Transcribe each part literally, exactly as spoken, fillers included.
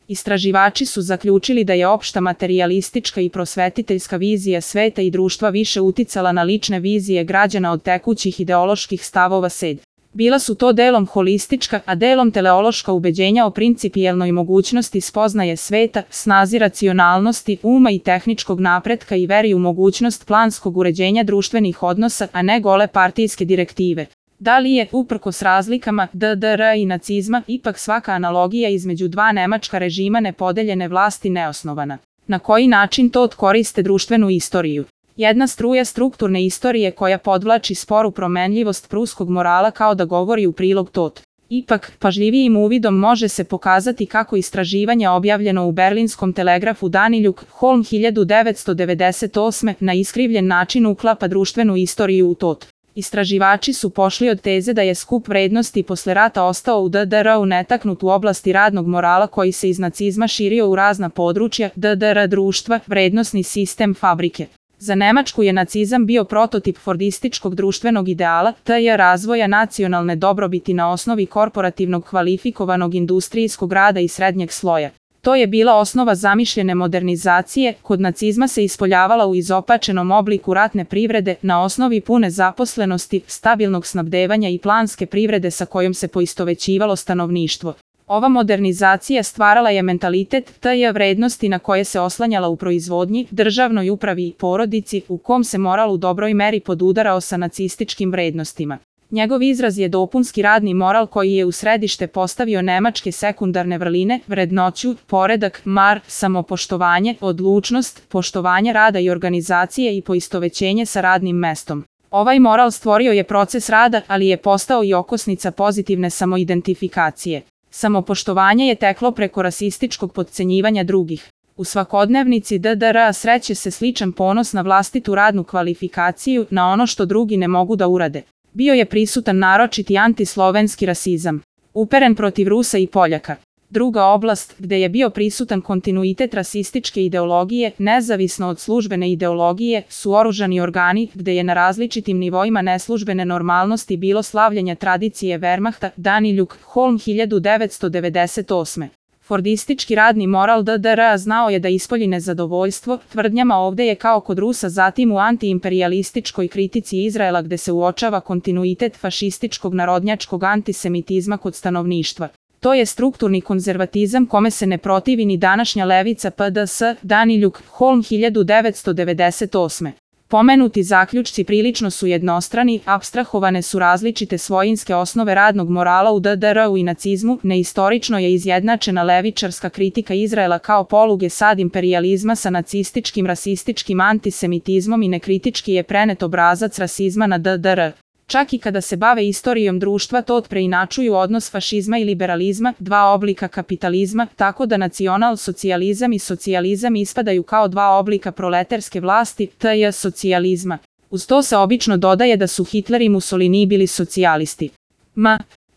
Istraživači su zaključili da je opšta materijalistička i prosvetiteljska vizija sveta i društva više uticala na lične vizije građana od tekućih ideoloških stavova sed. Bila su to delom holistička, a delom teleološka ubeđenja o principijelnoj mogućnosti spoznaje sveta, snazi racionalnosti, uma i tehničkog napretka i veri u mogućnost planskog uređenja društvenih odnosa, a ne gole partijske direktive. Da li je, uprkos razlikama D D R i nacizma, ipak svaka analogija između dva nemačka režima nepodeljene vlasti neosnovana? Na koji način to koriste društvenu istoriju? Jedna struja strukturne istorije koja podvlači sporu promenljivost pruskog morala kao da govori u prilog tot. Ipak, pažljivijim uvidom može se pokazati kako istraživanje objavljeno u berlinskom telegrafu Daniljuk Holm hiljadu devetsto devedeset osme na iskrivljen način uklapa društvenu istoriju u tot. Istraživači su pošli od teze da je skup vrednosti posle rata ostao u D D R-u netaknut u oblasti radnog morala koji se iz nacizma širio u razna područja D D R društva, vrednosni sistem fabrike. Za Nemačku je nacizam bio prototip fordističkog društvenog ideala, te je razvoja nacionalne dobrobiti na osnovi korporativnog kvalifikovanog industrijskog rada i srednjeg sloja. To je bila osnova zamišljene modernizacije, kod nacizma se ispoljavala u izopačenom obliku ratne privrede na osnovi pune zaposlenosti, stabilnog snabdevanja i planske privrede sa kojom se poistovećivalo stanovništvo. Ova modernizacija stvarala je mentalitet te je vrednosti na koje se oslanjala u proizvodnji, državnoj upravi i porodici, u kom se moral u dobroj meri podudarao sa nacističkim vrednostima. Njegov izraz je dopunski radni moral koji je u središte postavio nemačke sekundarne vrline, vrednoću, poredak, mar, samopoštovanje, odlučnost, poštovanje rada i organizacije i poistovećenje sa radnim mestom. Ovaj moral stvorio je proces rada, ali je postao i okosnica pozitivne samoidentifikacije. Samopoštovanje je teklo preko rasističkog potcenjivanja drugih. U svakodnevnici D D R-a sreće se sličan ponos na vlastitu radnu kvalifikaciju, na ono što drugi ne mogu da urade. Bio je prisutan naročiti antislovenski rasizam, uperen protiv Rusa i Poljaka. Druga oblast, gde je bio prisutan kontinuitet rasističke ideologije, nezavisno od službene ideologije, su oružani organi, gde je na različitim nivoima neslužbene normalnosti bilo slavljenja tradicije Wehrmachta, Daniljuk Holm hiljadu devetsto devedeset osme. Fordistički radni moral D D R-a znao je da ispolji nezadovoljstvo tvrdnjama ovde je kao kod Rusa, zatim u antiimperialističkoj kritici Izraela gde se uočava kontinuitet fašističkog narodnjačkog antisemitizma kod stanovništva. To je strukturni konzervatizam kome se ne protivi ni današnja levica P D S, Daniljuk Holm hiljadu devetsto devedeset osme. Pomenuti zaključci prilično su jednostrani, apstrahovane su različite svojinske osnove radnog morala u D D R-u i nacizmu, neistorično je izjednačena levičarska kritika Izraela kao poluge sad imperijalizma sa nacističkim rasističkim antisemitizmom i nekritički je prenet obrazac rasizma na D D R. Čak i kada se bave istorijom društva to preinačuju odnos fašizma i liberalizma, dva oblika kapitalizma, tako da nacional-socijalizam i socijalizam ispadaju kao dva oblika proletarske vlasti, te je socijalizma. Uz to se obično dodaje da su Hitler i Mussolini bili socijalisti. M.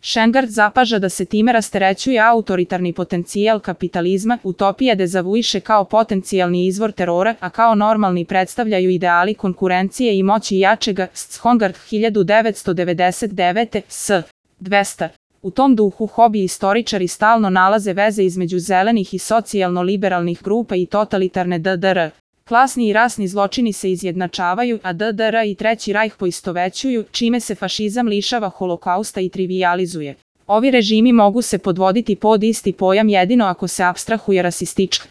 Šengard zapaža da se time rasterećuje autoritarni potencijal kapitalizma, utopija dezavuiše kao potencijalni izvor terora, a kao normalni predstavljaju ideali konkurencije i moći jačega, Schongard hiljadu devetsto devedeset devete. S. dvesta. U tom duhu hobi istoričari stalno nalaze veze između zelenih i socijalno-liberalnih grupa i totalitarne D D R. Klasni i rasni zločini se izjednačavaju, a D D R i Treći rajh poistovećuju, čime se fašizam lišava holokausta i trivijalizuje. Ovi režimi mogu se podvoditi pod isti pojam jedino ako se apstrahuje rasistička